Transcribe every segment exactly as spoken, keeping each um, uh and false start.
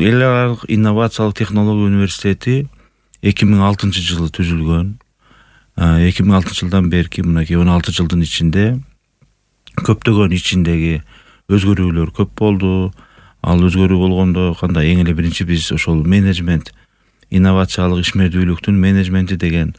Эл аралык инновациялык технология университети эки миң алтынчы жылы түзүлгөн. эки миң алтынчы жылдан берки мынакей он алты жылдын ичинде көптөгөн ичиндеги өзгөрүүлөр көп болду. Ал өзгөрүү болгондо кандай эң эле биринчи биз ошол менеджмент, инновациялык ишмердүүлүктүн менеджменти деген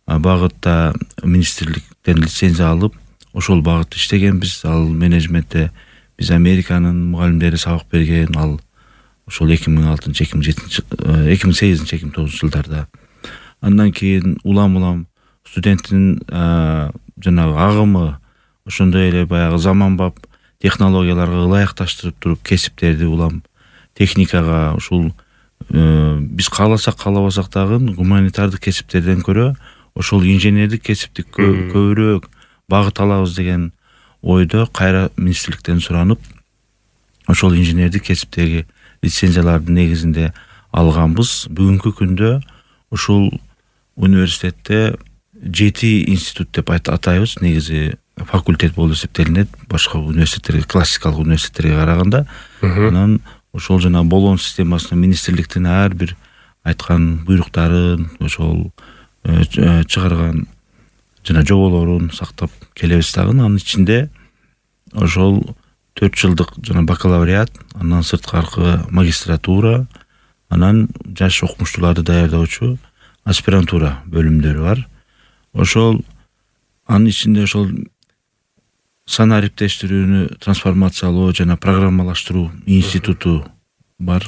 багытта министрликтен лицензия алып, ошол багытта иштегенбиз. Ал менеджментте биз Американын мугалимдери сабак берген, ал ошол эки миң алтынчы эки миң жетинчи эки миң сегизинчи эки миң тогузунчу жылдарда. Андан кийин улам-улам студенттин жанагы агымы ошондой эле баягы заманбап технологияларга ылайыкташтырып туруп кесиптерди улам техникага, ушул биз кааласак каалабасак дагы гуманитардык кесиптерден көрө ошол инженердик кесипти көбүрөөк багыт алабыз деген ойдо кайра министрликтен суранып, ошол инженердик кесиптеги лицензиялардын негизинде алганбыз. Бүгүнкү күндө ушул университетте жети институт деп атайбыз. Негизи факультет болуп эсептелинет башка университеттерге, классикалык университеттерге караганда. Анан ошол жана болгон системасына министрликтин ар бир айткан буйруктарын, ошол чыгарган жана жоболорун сактап келебиз дагы. Анын ичинде ошол төрт жылдык жана бакалавриат, андан сырткаркы магистратура, анан жаш окумуштууларды даярдоочу аспирантура бөлүмдөрү бар. Ошол анын ичинде ошол санаа ариптештирүүнү трансформациялоо жана программалаштыруу институту бар.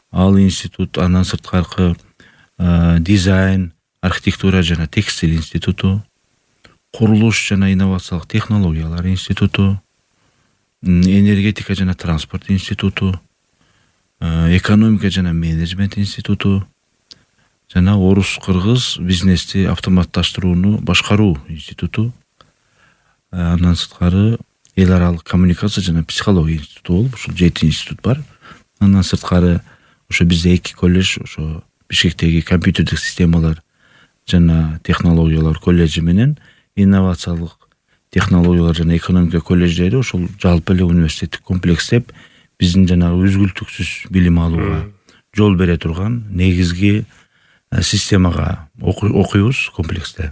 Ал институт, андан сырткаркы дизайн, архитектура жана текстиль институту, курулуш жана инновациялык технологиялар институту, энергетика жана транспорт институту, экономика жана менеджмент институту жана орус-кыргыз бизнести автоматташтырууну башкаруу институту. Андан сырткары эл аралык коммуникация жана психология институту болуп, ушул жети институт бар. Андан сырткары ошо бизде эки колледж, ошо Бишкектеги компьютердик системалар жана технологиялар колледжи менен инновациялык технологиялар жана экономика колледждери ошол жалпы эле университеттик комплекстеп биздин жанагы үзгүлтүксүз билим алууга жол бере турган негизги системага окуйбуз комплексте,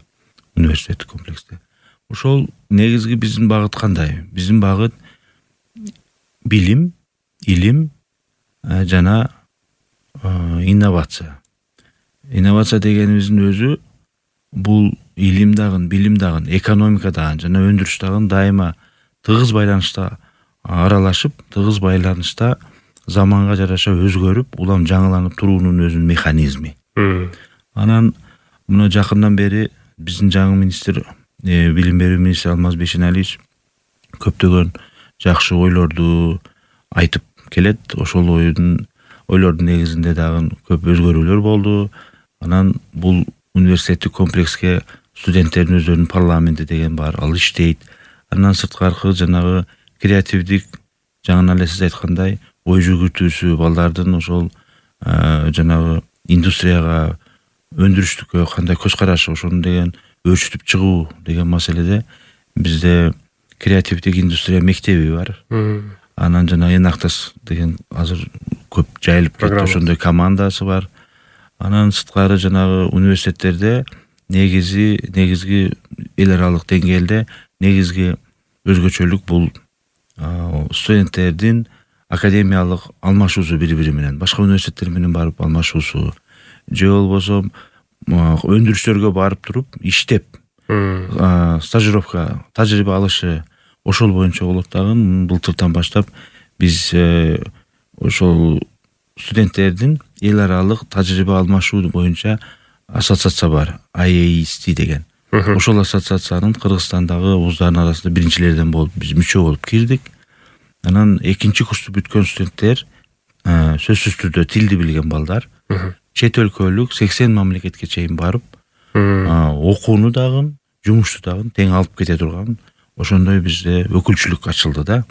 университеттик комплексте. Ошол негизги биздин багыт кандай? Биздин багыт билим, илим жана инновация. Инновация дегенибиздин өзү бул илим дагы, билим дагы, экономика дагы жана өндүрүш дагы дайыма тыгыз байланышта аралашып, тыгыз байланышта заманга жараша өзгөрүп, улам жаңыланып туруунун өзүнүн механизми. Анан мына жакындан бери биздин жаңы министр, билим берүү министри Алмаз Бейшеналиевич көптөгөн жакшы ойлорду айтып келет. Ошол ойдун ойлордун негизинде дагы көп өзгөрүүлөр болду. Анан бул университеттик комплекске студенттердин өздөрүнүн парламенти деген бар, ал иштейт. Андан сырткаркы жанагы креативдик, жаңы эле сиз айткандай, ой жүгүртүүсү, балдардын ошол жанагы индустрияга, өндүрүштүккө кандай көз карашы, ошону деген өөрчүтүп чыгуу деген маселеде бизде креативдик индустрия мектеби бар. Анан жана Энактас деген азыр көп жайылып кетти, ошондой командасы бар. Анан сырткары жанагы университеттерде негизи негизги эл аралык деңгээлде негизги өзгөчөлүк бул студенттердин академиялык алмашуусу бири-бири менен, башка университеттер менен барып алмашуусу, же болбосо өндүрүштөргө барып туруп иштеп, стажировка, тажрыйба алышы, ошол боюнча болот дагы. Былтыртан баштап биз ошол студенттердин эл аралык тажрыйба алмашуу боюнча ассоциация бар, ай эй эс ти деген. Ошол ассоциациянын Кыргызстандагы вуздардын арасында биринчилерден болуп биз мүчө болуп кирдик. Анан экинчи курсту бүткөн студенттер, сөзсүз түрдө тилди билген балдар, чет өлкөлүк сексен мамлекетке чейин барып, окууну дагы, жумушту дагы тең алып кете турган ошондой бизде өкүлчүлүк ачылды да.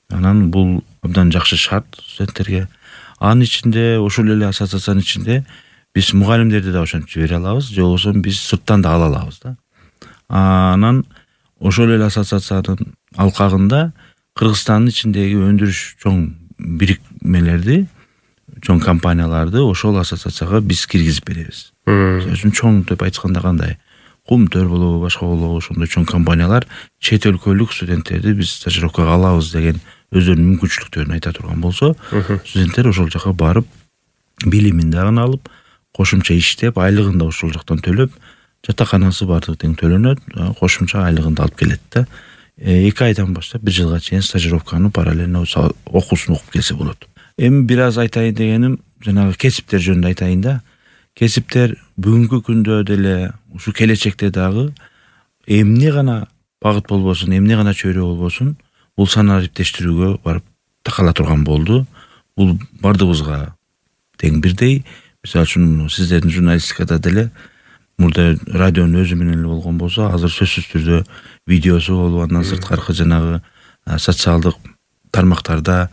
Анан бул абдан жакшы шарт студенттерге. Анын ичинде, ошол эле ассоциациянын ичинде биз мугалимдерди да ошентип жибере алабыз, же болбосо биз сырттан да ала алабыз да. Анан ошол эле ассоциациянын алкагында Кыргызстандын ичиндеги өндүрүш чоң бирикмелерди чоң компанияларды ошол ассоциацияга биз киргизип беребиз. Мисалы үчүн чоң деп айтканда кандай Кумтөр болобу, башка болобу, ошондой чоң компаниялар чет өлкөлүк студенттерди биз стажировкага алабыз деген өздөрүнүн мүмкүнчүлүктөрүн айта турган болсо, студенттер ошол жака барып, билимин дагы алып, кошумча иштеп, айлыгын да ошол жактан төлөп, жатаканасы баардыгы тең төлөнөт, кошумча айлыгын да алып келет да. эки айдан баштап бир жылга чейин стажировканы параллельно окуусун окуп келсе болот. Эми бир аз айтайын дегеним, жанагы кесиптер жөнүндө айтайын да. Кесиптер бүгүнкү күндө деле, ушу келечекте дагы эмне гана багыт болбосун, эмне гана чөйрө болбосун, бул санаа ариптештирүүгө барып такала турган болду. Бул бардыгыбызга тең бирдей. Мисалы үчүн сиздердин журналистикада деле мурда радионун өзү менен эле болгон болсо, азыр сөзсүз түрдө видеосу болуп, андан сырткары жанагы социалдык тармактарда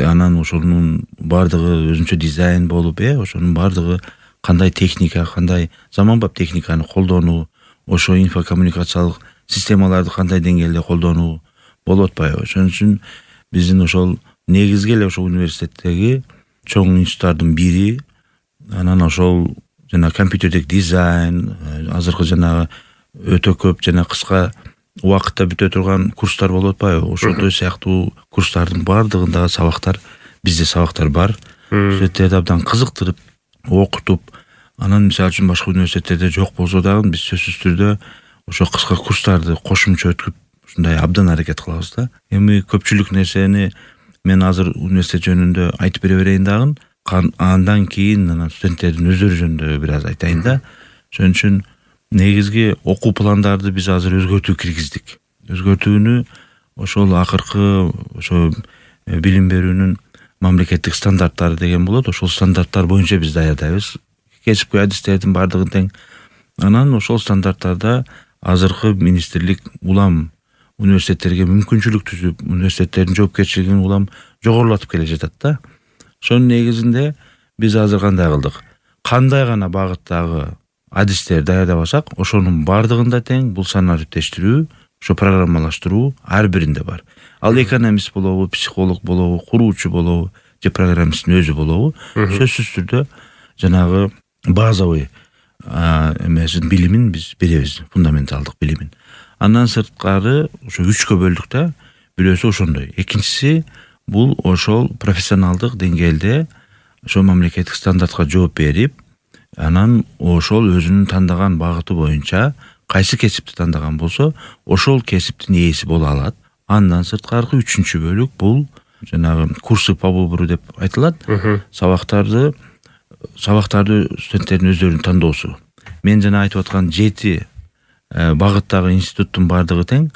анан ошонун бардыгы өзүнчө дизайн болуп, э, ошонун бардыгы кандай техника, кандай заманбап техниканы колдонуу, ошо инфокоммуникациялык системаларды кандай деңгээлде колдонуу болуп атпайбы? Ошон үчүн биздин ошол негизги эле ошол университеттеги чоң институттардын бири, анан ошол жана компьютердик дизайн, азыркы жанагы өтө көп жана кыска убакытта бүтө турган курстар болуп атпайбы? Ошондой сыяктуу курстардын бардыгындагы сабактар, бизде сабактар бар. Студенттерди абдан кызыктырып, окутуп, анан мисалы үчүн башка университеттерде жок болсо дагы биз сөзсүз түрдө ошо кыска курстарды кошумча өткүп, ушундай абдан аракет кылабыз да. Эми көпчүлүк нерсени мен азыр университет жөнүндө айтып бере берейин дагы, андан кийин анан студенттердин өздөрү жөнүндө бир аз айтайын да. Ошон үчүн негизги окуу пландарды биз азыр өзгөртүү киргиздик. Өзгөртүүнү ошол акыркы ошо билим берүүнүн мамлекеттик стандарттары деген болот. Ошол стандарттар боюнча биз даярдайбыз. Кесипкөй адистердин бардыгы тең. Анан ошол стандарттарда азыркы министрлик улам университеттерге мүмкүнчүлүк түзүп, университеттердин жоопкерчилигин улам жогорулатып келе жатат да. Ошонун негизинде биз азыр кандай кылдык? Кандай гана багыттагы адистер даярдабасак, ошонун бардыгында тең бул санаа ариптештирүү, ошо программалаштыруу ар биринде бар. Ал экономист болобу, психолог болобу, куруучу болобу, же программисттин өзү болобу, сөзсүз түрдө жанагы базовый эмесин билимин биз беребиз, фундаменталдык билимин. Андан сырткары ошо үчкө бөлдүк да. Бирөөсү ошондой. Экинчиси бул ошол профессионалдык деңгээлде ошо мамлекеттик стандартка жооп берип, анан ошол өзүнүн тандаган багыты боюнча кайсы кесипти тандаган болсо, ошол кесиптин ээси боло алат. Андан сырткары үчүнчү бөлүк бул жанагы курсы по выбору деп айтылат. Сабактарды сабактарды студенттердин өздөрүнүн тандоосу. Мен жана айтып аткан жети багыттагы институттун бардыгы тең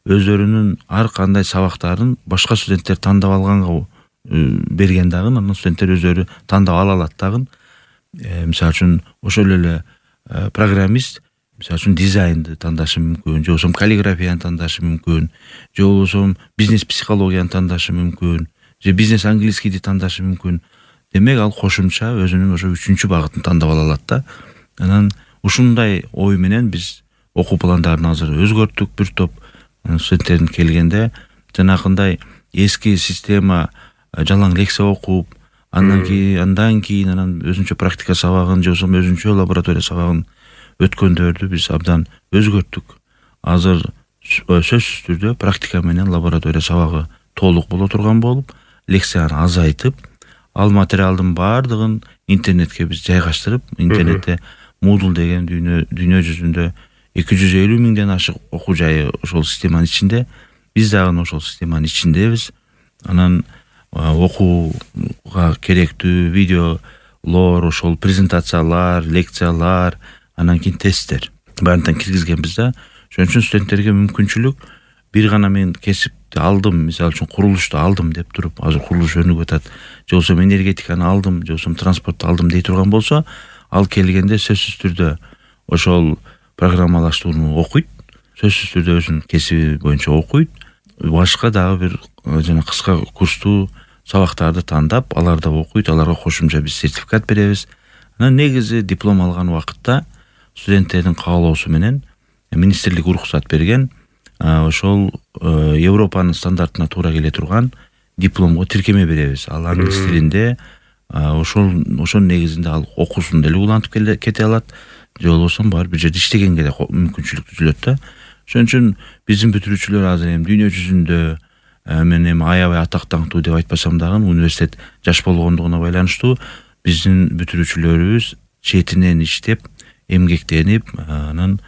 өздөрүнүн ар кандай сабактарын башка студенттер тандап алганга берген дагы, анан студенттер өздөрү тандап ала алат дагы. Мисалы үчүн ошол эле программист мисалы үчүн дизайнды тандашы мүмкүн, же болбосо каллиграфияны тандашы мүмкүн, же болбосо бизнес психологияны тандашы мүмкүн, же бизнес английскийди тандашы мүмкүн. Демек ал кошумча өзүнүн ошо үчүнчү багытын тандап ала алат да. Анан ушундай ой менен биз окуу пландарын азыр өзгөрттүк. Бир топ студенттердин келгенде жанакындай эски система жалаң лекция окуп, андан кийин андан кийин анан өзүнчө практика сабагын, же болбосо өзүнчө лаборатория сабагын өткөндөрдү биз абдан өзгөрттүк. Азыр сөзсүз түрдө практика менен лаборатория сабагы толук боло турган болуп, лекцияны азайтып, ал материалдын бардыгын интернетке биз жайгаштырып, интернетте Moodle деген дүйнө дүйнө жүзүндө эки жүз элүү миңден ашык окуу жайы ошол системанын ичинде. Биз дагы ошол системанын ичиндебиз. Анан окууга керектүү видеолор, ошол презентациялар, лекциялар, анан кийин тесттер баарын киргизгенбиз да. Ошон үчүн студенттерге мүмкүнчүлүк бир гана мен кесипти алдым, мисалы үчүн курулушту алдым деп туруп, азыр курулуш өнүгүп атат, же болбосо энергетиканы алдым, же болбосо транспортту алдым дей турган болсо, ал келгенде сөзсүз түрдө ошол программалаштырууну окуйт, сөзсүз түрдө өзүнүн кесиби боюнча окуйт, башка дагы бир жана кыска курстуу сабактарды тандап, аларда окуйт, аларга кошумча биз сертификат беребиз. Анан негизи диплом алган убакытта студенттердин каалоосу менен министрлик уруксат берген, ошол Европанын стандартына туура келе турган дипломго тиркеме беребиз. Ал англис тилинде ошол ошонун негизинде ал окуусун деле улантып кете алат, же болбосо бар бир жерде иштегенге да мүмкүнчүлүк түзүлөт да. Ошон үчүн биздин бүтүрүүчүлөр азыр эми дүйнө жүзүндө мен эми аябай атактуу деп айтпасам дагы университет жаш болгондугуна байланыштуу биздин бүтүрүүчүлөрүбүз четинен иштеп, эмгектенип, анан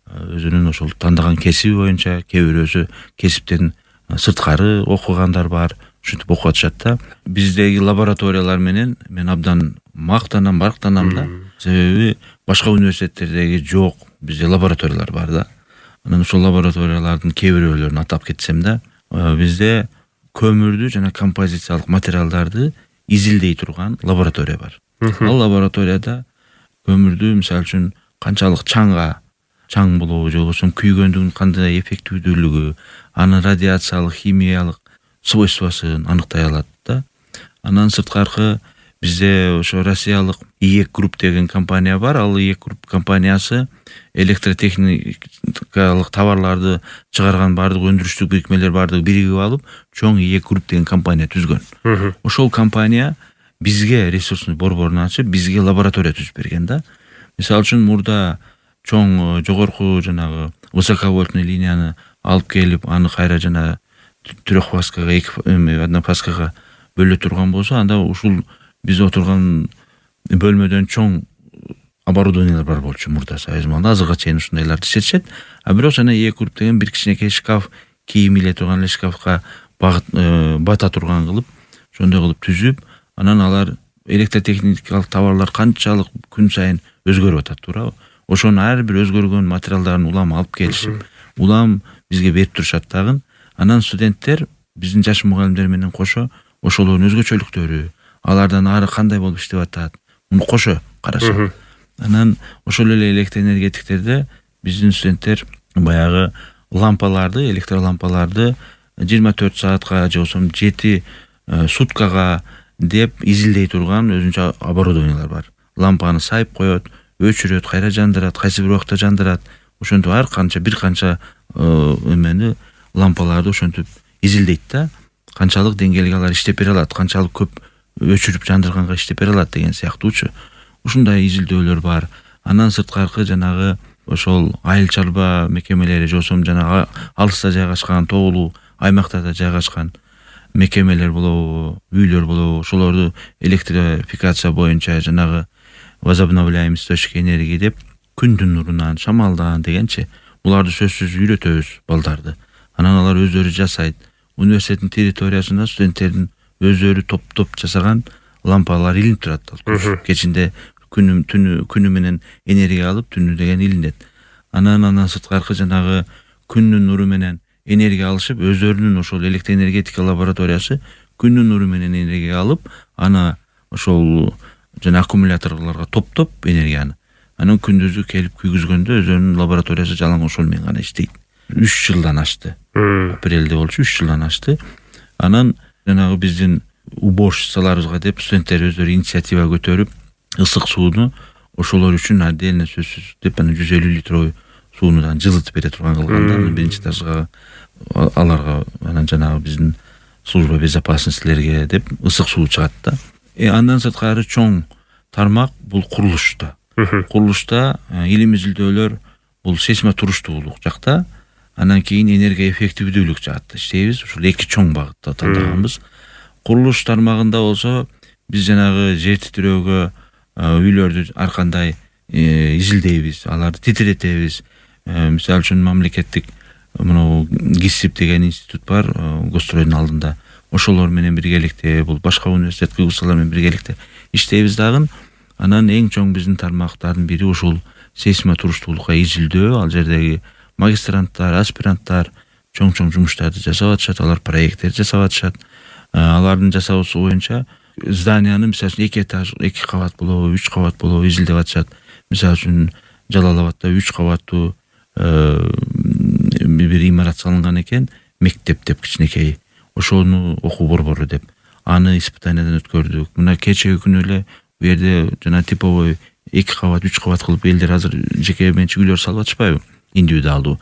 өзүнүн ошол тандаган кесиби боюнча, кээ бирөөсү кесиптен сырткары окугандар бар, ушинтип окуп атышат да. Биздеги лабораториялар менен мен абдан мактанам, барктанам да. Себеби башка университеттердеги жок, бизде лабораториялар бар да. Анан ошол лабораториялардын кээ бирөөлөрүн атап кетсем да, бизде көмүрдү жана композициялык материалдарды изилдей турган лаборатория бар. Ал лабораторияда көмүрдү мисалы үчүн канчалык чаңга чаң болобу, же болбосо күйгөндүгүн кандай эффективдүүлүгү, анын радиациялык, химиялык свойствосын аныктай алат да. Андан сырткары бизде ошо Россиялык ИЭК групп деген компания бар. Ал ИЭК групп компаниясы электротехникалык товарларды чыгарган бардык өндүрүштүк бирикмелер бардыгы биригип алып, чоң ИЭК групп деген компания түзгөн. Ошол компания бизге ресурсный борборун ачып, бизге лаборатория түзүп берген да. Мисалы үчүн мурда чоң жогорку жанагы высоковольтный линияны алып келип, аны кайра жана трехфаскага, эки однофаскага бөлө турган болсо, анда ушул биз отурган бөлмөдөн чоң оборудованиялар бар болчу мурда Союз маалында. Азыркыга чейин ушундайларды иштетишет. А бирок жана ИЭК групп деген бир кичинекей шкаф, кийим иле турган эле шкафка бата турган кылып, ошондой кылып түзүп, анан алар электротехникалык товарлар канчалык күн сайын өзгөрүп атат, туурабы? Ошонун ар бир өзгөргөн материалдарын улам алып келишип, улам бизге берип турушат дагы. Анан студенттер биздин жаш мугалимдер менен кошо ошолордун өзгөчөлүктөрү, алардан ары кандай болуп иштеп атат, муну кошо карашат. Анан ошол эле электроэнергетиктерде биздин студенттер баягы лампаларды, электролампаларды жыйырма төрт саатка же болбосо жети суткага деп изилдей турган өзүнчө оборудованиялар бар. Лампаны сайып коет, өчүрөт, кайра жандырат, кайсы бир убакта жандырат. Ошентип ар канча бир канча эмени лампаларды ошентип изилдейт да. Канчалык деңгээлге алар иштеп бере алат, канчалык көп өчүрүп жандырганга иштеп бере алат деген сыяктуучу. Ушундай изилдөөлөр бар. Андан сырткары жанагы ошол айыл чарба мекемелери, же болбосо жанагы алыста жайгашкан, тоолуу аймактарда жайгашкан мекемелер болобу, үйлөр болобу, ошолорду электрификация боюнча жанагы возобновляемый источник энергии деп күндүн нурунан, шамалдан дегенчи буларды сөзсүз үйрөтөбүз балдарды. Анан алар өздөрү жасайт. Университеттин территориясында студенттердин өздөрү топ-топ жасаган лампалар илинип турат. Кечинде күнү түнү күнү менен энергия алып, түнү деген илинет. Анан андан сырткары жанагы күндүн нуру менен энергия алышып, өздөрүнүн ошол электроэнергетика лабораториясы күндүн нуру менен энергия алып, аны ошол жана аккумуляторлорго топтоп энергияны. Анан күндүзү келип күйгүзгөндө өздөрүнүн лабораториясы жалаң ошол менен гана иштейт. үч жылдан ашты. Апрелде болчу, үч жылдан ашты. Анан жанагы биздин уборщицаларыбызга деп студенттер өздөрү инициатива көтөрүп, ысык сууну ошолор үчүн отдельно сөзсүз деп аны жүз элүү литровый сууну да жылытып бере турган кылганда, биринчи этажга аларга анан жанагы биздин служба безопасностьлерге деп ысык суу чыгат да. Э андан сырткары чоң тармак бул курулушта. Курулушта илим изилдөөлөр бул сейсмотуруштуулук жакта, анан кийин энергия эффективдүүлүк жакта иштейбиз. Ушул эки чоң багытта тандаганбыз. Курулуш тармагында болсо биз жанагы жер титирөөгө үйлөрдү ар кандай изилдейбиз, аларды титиретебиз. Мисалы үчүн мамлекеттик мына ГИСИП деген институт бар Гостройдун алдында. Ошолор менен биргеликте, бул башка университет кыйгызчылар менен биргеликте иштейбиз дагы. Анан эң чоң биздин тармактардын бири ушул сейсмотуруштуулукка изилдөө. Ал жердеги магистранттар, аспиранттар чоң-чоң жумуштарды жасап атышат, алар проекттерди жасап атышат. Алардын жасоосу боюнча зданияны мисалы үчүн эки этаж, эки кабат болобу, үч кабат болобу изилдеп атышат. Мисалы үчүн Жалал Абадда үч кабаттуу бир имарат салынган экен, мектеп деп кичинекей. Ошону окуу борбору деп. Аны испытаниядан өткөрдүк. Мына кечеги күнү эле бу жерде жана типовой эки кабат, үч кабат кылып элдер азыр жеке менчик үйлөр салып атышпайбы? Индивидуалдуу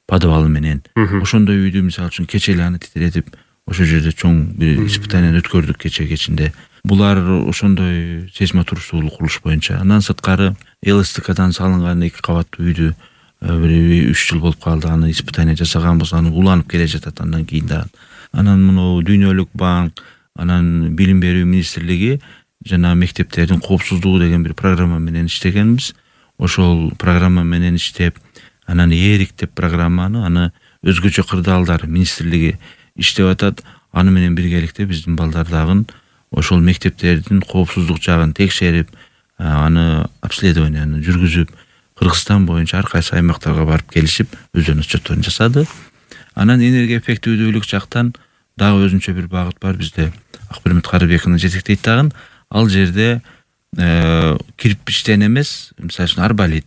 подвалы менен. Ошондой үйдү мисалы үчүн кече эле аны титиретип, ошол жерде чоң бир испытаниядан өткөрдүк кече кечинде. булар ошондой сейсмотуруштуулук курулуш боюнча. Андан сырткары ЛСТКдан салынган эки кабаттуу үйдү бир үч жыл болуп калды, аны испытание жасаганбыз, аны уланып келе жатат андан кийин да. Анан муну Дүйнөлүк банк, анан Билим берүү министрлиги жана мектептердин коопсуздугу деген бир программа менен иштегенбиз. Ошол программа менен иштеп, анан Эрик деп программаны аны өзгөчө кырдаалдар министрлиги иштеп атат. Аны менен биргеликте биздин балдар дагы ошол мектептердин коопсуздук жагын текшерип, аны обследованияны жүргүзүп, Кыргызстан боюнча ар кайсы аймактарга барып келишип, өздөрүнүн отчетторун жасады. Анан энергия эффективдүүлүк жактан дагы өзүнчө бир багыт бар бизде. Акбермет Карыбековна жетектейт дагы. Ал жерде кирпичтен эмес, мисалы үчүн арбалит,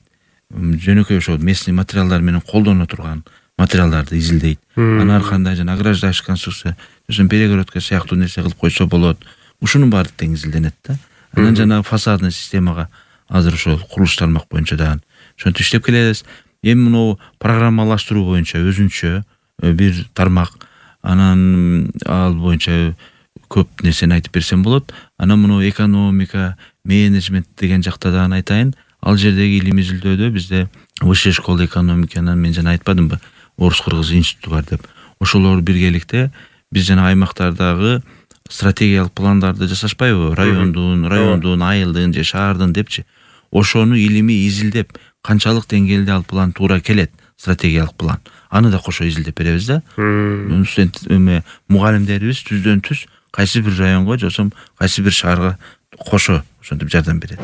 жөнөкөй ошол местный материалдар менен колдоно турган материалдарды изилдейт. Анан ар кандай жана ограждающий конструкция, өзүн перегородка сыяктуу нерсе кылып койсо болот. Ушунун баары тең изилденет да. Анан жана фасадный системага азыр ошол курулуш тармак боюнча дагы ошентип иштеп келебиз. Эми муну программалаштыруу боюнча өзүнчө бир тармак. Анан ал боюнча көп нерсени айтып берсем болот. Анан муну экономика, менеджмент деген жакта дагы айтайын. Ал жердеги илимий изилдөөдө бизде Высшая школа экономики, анан мен жана айтпадымбы, Орус-Кыргыз институту бар деп. Ошолор биргеликте биз жана аймактардагы стратегиялык пландарды жасашпайбы? Райондун, райондун, айылдын же шаардын депчи. Ошону илимий изилдеп, канчалык деңгээлде ал план туура келет, стратегиялык план. Аны да кошо изилдеп беребиз да. Студент эме мугалимдерибиз түздөн түз кайсы бир районго, жосом кайсы бир шаарга кошо ошентип жардам берет.